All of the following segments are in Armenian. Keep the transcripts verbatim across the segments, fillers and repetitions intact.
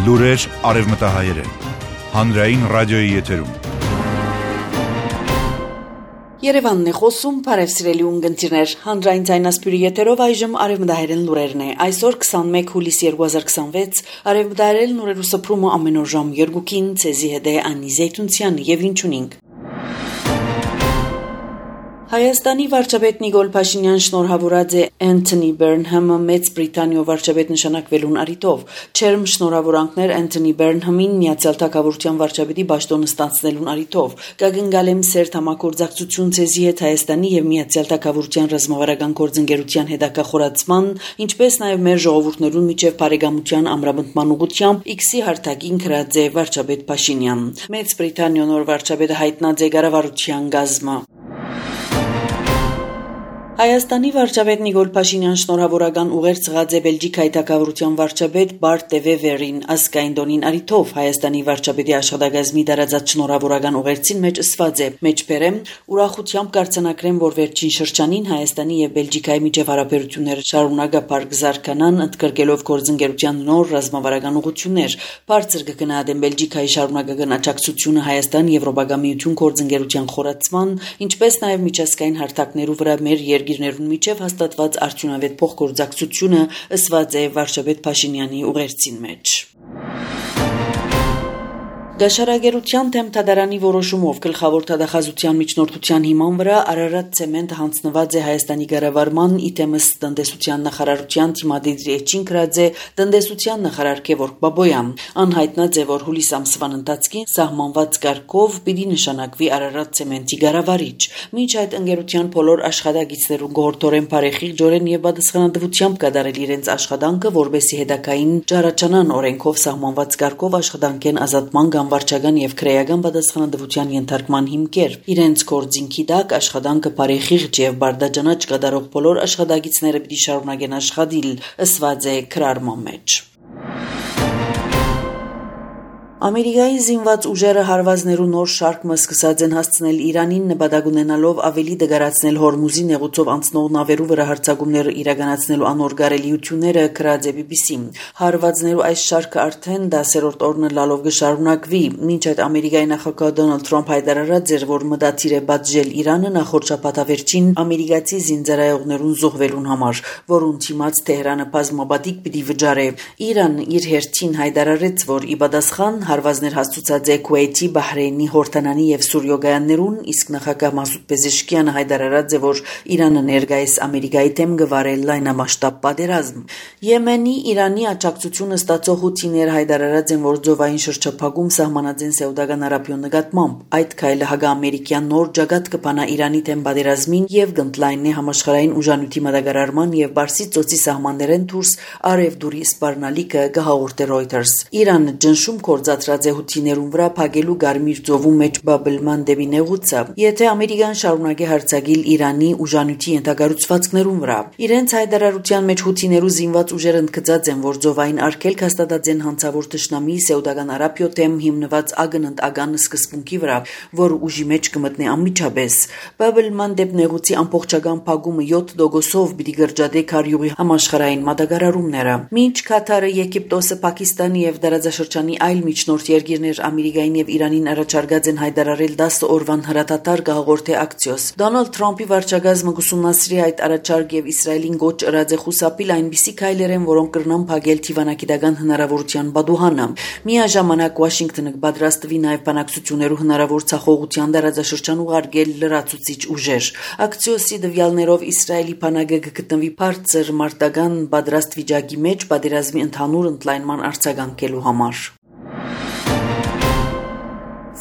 Լուրեր արևմտահայերեն, հանրային ռադիոյի եթերում։ Երևանն է խոսում, բարև սիրելի ունգընտիրներ, հանրային ձայնասպյուրի եթերով այժմ արևմտահայերեն լուրերն է։ Այսօր քսանմեկ հուլիս երկու հազար քսանվեց, արևմտահայերեն լուրերու սփռումը ամեն օր ժամ երկուքին, ցեզի հետ է Անի Զեյթունցյան եւ ինչունինք։ Հայաստանի վարչապետ Նիկոլ Փաշինյան շնորհավորած է Անթոնի Բերնհամը Մեծ Բրիտանիո վարչապետ նշանակվելուն առիթով։ Չերմ շնորհավորանքներ Անթոնի Բերնհամին Միացյալ Թագավորության վարչապետի պաշտոնը ստանձնելուն առիթով։ Կգնգալեմ սերտ համագործակցություն ցեզի հետ Հայաստանի եւ Միացյալ Թագավորության ռազմավարական գործընկերության հետագա խորացման, ինչպես նաեւ մեր ժողովուրդներուն միջև բարեկամության ամրապնդման ուղղությամբ X-ի հարթակին գրած է վարչապետ Փաշինյան։ Մեծ Բրիտանիո նոր վարչապետը հայտնած է կառավարության գազմը։ Հայաստանի վարչապետ Նիկոլ Փաշինյան շնորհավորական ուղեր ծղած է Բելգիկայի թագավորության վարչապետ Բարտ դե Վևերին ազգային տոնին առիթով Հայաստանի վարչապետի աշխատակազմի դարաձած շնորհավորական ուղերձին մեջ ըսված է մեջբերեմ ուրախությամբ կարձանակրեմ, որ վերջին շրջանին Հայաստանի եւ Բելգիկայի միջև հարաբերությունները շարունակապար կզարգանան, ընդգրկելով գործընկերության նոր ռազմավարական ուղղություններ։ Բարձր կգնահատեմ Բելգիկայի շարունակական աջակցությունը Հայաստան-Եվրոպական միություն գործընկերության խորացման, ինչպես նաեւ միջազգային հարթակներու վրա մեր երկիրներուն միջև հաստատված արդյունավետ փոխգործակցությունը ըսված է վարչապետ Փաշինյանի ուղերձին մեջ։ Գաշարագերության թեմ թադարանի որոշումով գլխավոր թադախազության միջնորդության հիման վրա Արարատ ցեմենտը հանձնված է Հայաստանի կառավարման իդեմս տնտեսության նախարարության թիմադիրի էջին գրած է տնտեսության նախարար Գևորգ Բաբոյան։ Անհայտնած է, որ հուլիս ամսվան ընթացքին սահմանված կարգով պիտի նշանակվի Արարատ ցեմենտի կառավարիչ։ Մինչ այդ ընկերության բոլոր աշխատակիցներուն գործորեն բարեխիղճորեն եւ պատասխանատվությամբ կատարել իրենց աշխատանքը, որբեսի հետագային ճառաչանան օրենքով սահմանված կարգով աշխատանքեն ազատման վարչական եւ քրեական պատասխանատվության ենթարկման հիմքեր։ Իրենց գործինքի տակ աշխատանքը բարեխիղճ եւ բարդաջանաչ կատարող բոլոր աշխատակիցները պիտի շարունակեն աշխատել, ըսված է քրարման մեջ։ Ամերիկայի զինված ուժերը հարվածներու նոր շարքը սկսած են հասցնել Իրանին նպատակ ունենալով ավելի դգարացնել Հորմուզի նեղուցով անցնող նավերու վրա հարձակումները իրականացնելու անոր գարելիությունները գրած է բի բի սին։ Հարվածներու այս շարքը արդեն դասերորդ օրն լալով կշարունակվի, մինչ այդ Ամերիկայի նախագահ Դոնալդ Թրամփ հայտարարած էր, որ մտադիր է բաժել Իրանը նախորդ շաբաթավերջին ամերիկացի զինծառայողներուն զոհվելուն համար, որուն թիմած Թեհրանը բազմապատիկ պիտի վճարե։ Իրան իր հերթին հայտարարեց, որ ի պատասխան հարվածներ հաստուցած է Քուվեյթի, Բահրեյնի, Հորդանանի եւ Սուրիո գայաններուն, իսկ նախագահ Մասուդ Պեզեշկյանը հայտարարած է, որ Իրանը ներկայիս Ամերիկայի դեմ գվարել լայնամասշտաբ պատերազմ։ Եմենի Իրանի աջակցությունը ստացող հութիները հայտարարած են, որ ծովային շրջափակում սահմանած են Սաուդական Արաբիոյի նկատմամբ։ Այդ քայլը հակաամերիկյան նոր ջագատ կփանա Իրանի դեմ պատերազմին եւ կընդլայնի համաշխարհային ուժանույթի մատակարարման եւ Պարսից ծոցի սահմաններեն դուրս արևդուրի սպառնալիքը կհաղորդե Reuters։ Իրանը ճնշում կորցած հութիներուն վրա փակելու Գարմիր ծովու մեջ բաբլման դեպի նեղուցը, եթե Ամերիկան շարունակի հարձակել Իրանի ուժանույթի ենթակառուցվածքներուն վրա։ Իրենց հայտարարության մեջ հութիներու զինված ուժերը ընդգծած են, որ ծովային արգելք հաստատած են հանցավոր թշնամի Սաուդական Արաբիո դեմ հիմնված ագնընտական սկզբունքի վրա, որ ուժի մեջ կմտնի անմիջապես։ Բաբլման դեպ նեղուցի ամբողջական փակումը յոթ տոկոսով պիտի գրջադե քարյուղի համաշխարհային մատակարարումները։ Մինչ Կատարը, Եգիպտոսը, Պակիստանը եւ դարաձաշրջանի այլ միջնորդ երկիրներ Ամերիկային եւ Իրանին առաջարկած են հայտարարել դասը օրվան հրատատար կհաղորդե ակցիոս։ Դոնալդ Թրամփի վարչակազմը կուսումնասրի այդ առաջարկ եւ Իսրայելին գոչ ըրած է խուսափել այնպիսի քայլեր են, որոնք կրնան փակել թիվանագիտական հնարավորության բադուհանը։ Միաժամանակ Վաշինգտոնը պատրաստվի նաեւ բանակցություններու հնարավոր ցախողության դարաձաշրջան ուղարկել լրացուցիչ ուժեր։ Ակցիոսի դվյալներով Իսրայելի բանակը կգտնվի բարձր մարտական պատրաստ վիճակի մեջ պատերազմի ընդհանուր ընդլայնման արձագանքելու համար։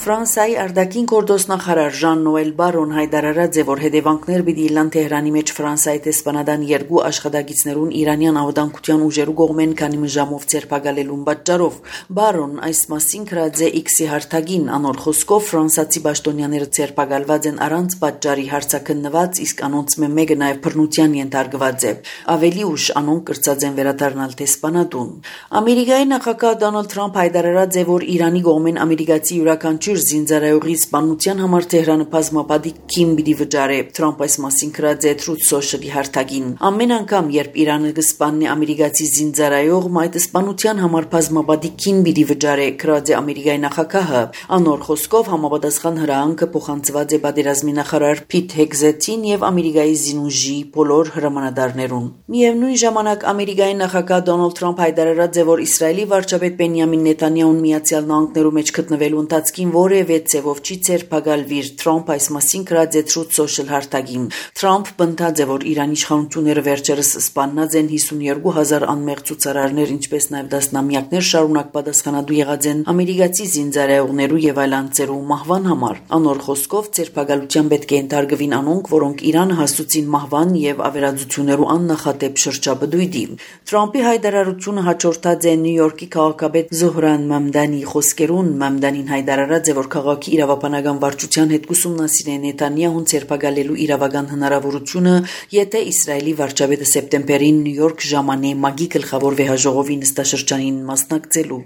Ֆրանսիայի արտաքին գործ նախարար Ժան Նոել Բարոն հայտարարած է, որ հետևանքներ պիտի լան Թեհրանի մեջ Ֆրանսիայի տեսփանադան երկու աշխատակիցներուն իրանյան անվտանգության ուժերու կողմեն քանի ժամով ցերպակալելուն պատճառով։ Բարոն այս մասին գրած է X-ի հարթակին, անոր խոսքով ֆրանսիացի պաշտոնյաները ցերպակալված են առանց պատճառի հարցաքննված, իսկ անոնց մեկը նաև բռնության ենթարկված է։ Ավելի ուշ անոնք կրծած են վերադառնալ տեսփանադուն։ Ամերիկայի նախագահ Դոնալդ Թրամփ հայտարարած է, որ Իրանի կողմեն ամերիկացի յուրաքանչյուր յուրաքանչյուր զինծառայողի սպանության համար Թեհրանը բազմապատիկ քիմ պիտի վճարե, Թրամփ այս մասին գրած է Truth Social-ի հարթակին։ Ամեն անգամ, երբ Իրանը կսպաննի ամերիկացի զինծառայող, այդ սպանության համար բազմապատիկ քիմ պիտի վճարե, գրած է Ամերիկայի նախագահը։ Անոր խոսքով համապատասխան հրահանգը փոխանցված է պատերազմի նախարար Փիթ Հեգզեթին եւ Ամերիկայի զինուժի բոլոր հրամանատարներուն։ Միևնույն ժամանակ Ամերիկայի նախագահ Դոնալդ Թրամփ հայտարարած է, որ Իսրայելի վարչապետ Բենյամին Նեթանյահուն Միացյալ Նահանգներու մեջ գտնվելու ընթացքին որևէ ցևով չի ցերպակալվիր։ Թրամփ այս մասին գրած է Truth Social հարթակին։ Թրամփ բնտած է, որ Իրանի իշխանությունները վերջերս սպանած են հիսունյոթ հազար անմեղ ցուցարարներ, ինչպես նաև դասնամյակներ շարունակ պատասխանատու եղած են ամերիկացի զինծառայողներու եւ այլ անձերու մահվան համար։ Անոր խոսքով ցերպակալության պետք է ընթարգվին անոնք, որոնք Իրանը հասցուցին մահվան եւ ավերածություններու աննախադեպ շրջաբդույթի։ Թրամփի հայտարարությունը հաջորդած է Նյու Յորքի քաղաքապետ Զոհրան Մամդանի խոսքերուն։ Մամդանին հայտարարած է, որ քաղաքի իրավապանական վարչության հետ կուսումնասիրե Նեթանյահուն ցերպակալելու իրավական հնարավորությունը, եթե Իսրայելի վարչապետը սեպտեմբերին Նյու Յորք ժամանե ՄԱԳ-ի գլխավոր վեհաժողովի նստաշրջանին մասնակցելու։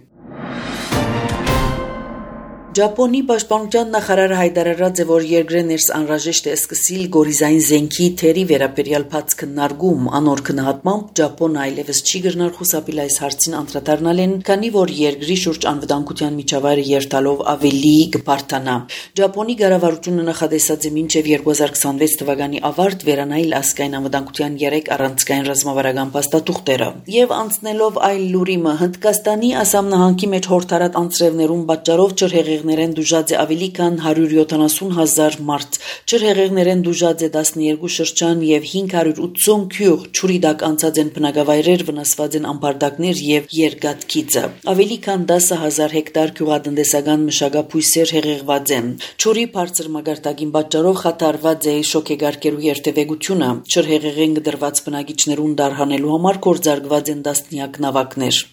Ճապոնի պաշտպանության նախարարը հայտարարած է, որ երկրը ներս անհրաժեշտ է սկսիլ գորիզային զենքի թերի վերաբերյալ բաց քննարկում։ Անոր քննադատմամբ Ճապոնը այլևս չի գտնար խուսափել այս հարցին անդրադառնալ են, քանի որ երկրի շուրջ անվտանգության միջավայրը երթալով ավելի կբարթանա։ Ճապոնի կառավարությունը նախադեсած է մինչև երկու հազար քսանվեց թվականի ավարտ վերանայել ազգային անվտանգության երեք առանցքային ռազմավարական փաստաթուղթերը։ Եվ անցնելով այլ լուրիմը, Հնդկաստանի Ասամ նահանգի մեջ հորթարատ անձրևներուն պատճառով ջրհեղեղներեն դուժած է ավելի քան հարյուր յոթանասուն հազար մարդ։ Ջրհեղեղներեն դուժած է տասներկու շրջան եւ հինգ հարյուր ութսուն գյուղ, ջուրի տակ անցած են բնակավայրեր, վնասված են ամբարտակներ եւ երկաթգիծը։ Ավելի քան տասը հազար հեկտար գյուղատնտեսական մշակաբույսեր հեղեղված են։ Ջուրի բարձր մակարդակին պատճառով խաթարված է շոկեգարկերու երթևեկությունը։ Ջրհեղեղեն դրված բնակիչներուն դարհանելու համար կորձարկված են տասնյակ նավակներ։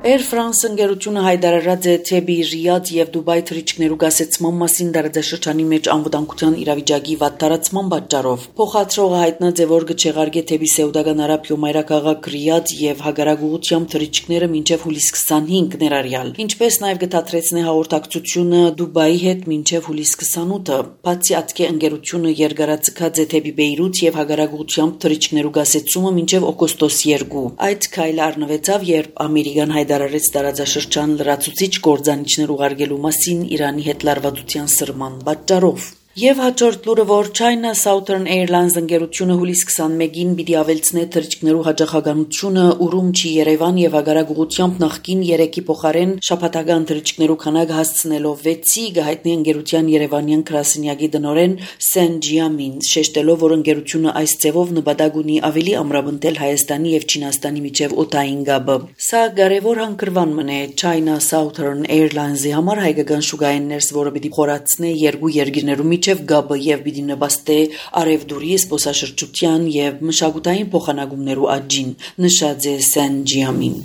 Air France ընկերությունը հայտարարած է, թե Ռիադ եւ Դուբայ թռիչքներու գասեցման մասին դարաշրջանի մեջ անվտանգության իրավիճակի վատ տարածման պատճառով։ Փոխադրողը հայտնած է, որ կչեղարկե թեպի Սաուդական Արաբիա մայրաքաղաք Ռիադ եւ հագարագուղությամբ թռիչքները մինչեւ հուլիս քսանհինգ ներառյալ, ինչպես նաեւ կթատրեցնե հաղորդակցությունը Դուբայի հետ մինչեւ հուլիս քսանութը։ Բացի ատկե ընկերությունը երկարացկած է թեպի Բեյրութ եւ հագարագուղությամբ թռիչքներու գասեցումը մինչեւ օգոստոս երկու։ Այդ քայլը առնվեցավ, երբ Ամերիկան հայտարարեց տարածաշրջան լրացուցիչ կործանիչներ ուղարկելու մասին Իրանի հետ լարվածության սրման պատճառով։ Եվ հաջորդ լուրը, որ China Southern Airlines ընկերությունը հուլիս քսանմեկին պիտի ավելցնե թռիչքներու հաջողականությունը Ուրումչի, Երևան եւ հագարագուղությամբ նախկին երեքի փոխարեն շաբաթական թռիչքներու քանակը հասցնելով վեցի, գահիտնի ընկերության Երևանյան գրասենյակի տնօրեն Սեն Ջիամին, շեշտելով, որ ընկերությունը այս ձևով նպատակ ունի ավելի ամրապնդել Հայաստանի եւ Չինաստանի միջև օդային գաբը։ Սա կարևոր հանգրվան մնե China Southern Airlines-ի համար հայկական շուկային ներս, որը պիտի խորացնե երկու երկիրներու միջև գաբը եւ պիտի նպաստե արևդուրի զբոսաշրջության եւ մշակութային փոխանակումներու աճին, նշած է Սեն Ջիամին։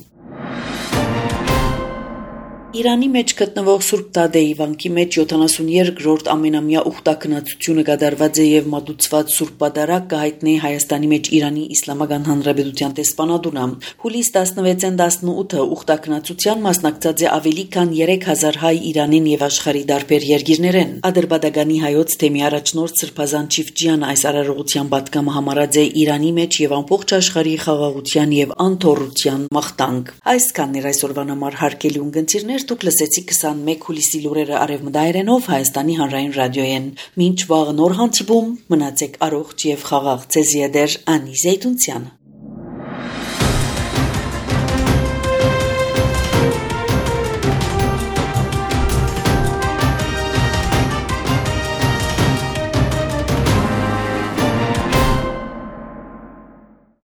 Իրանի մեջ գտնվող Սուրբ Տադեի վանքի մեջ յոթանասուներկրորդ ամենամյա ուխտակնացությունը կատարված է եւ մատուցված Սուրբ Պատարագ կհայտնի Հայաստանի մեջ Իրանի Իսլամական Հանրապետության տեսփանատունը։ Հուլիս տասնվեցին տասնութը ուխտակնացության մասնակցած է ավելի քան երեք հազար հայ Իրանին եւ աշխարհի տարբեր երկիրներեն։ Ադրբեջանի հայոց թեմի առաջնորդ Սրբազան Չիֆջյանը այս արարողության պատգամը համարած է Իրանի մեջ եւ ամբողջ աշխարհի խաղաղության եւ անթոռության մաղթանք։ Այսքանն էր այսօրվան համար հարգելի ունկնդիրներ, դուք լսեցիք քսանմեկ հուլիսի լուրերը արևմտայերենով Հայաստանի հանրային ռադիոյեն։ Մինչ վաղ նոր հանդիպում, մնացեք առողջ եւ խաղաղ։ Ձեզ յետեր Անի Զեյթունցյան։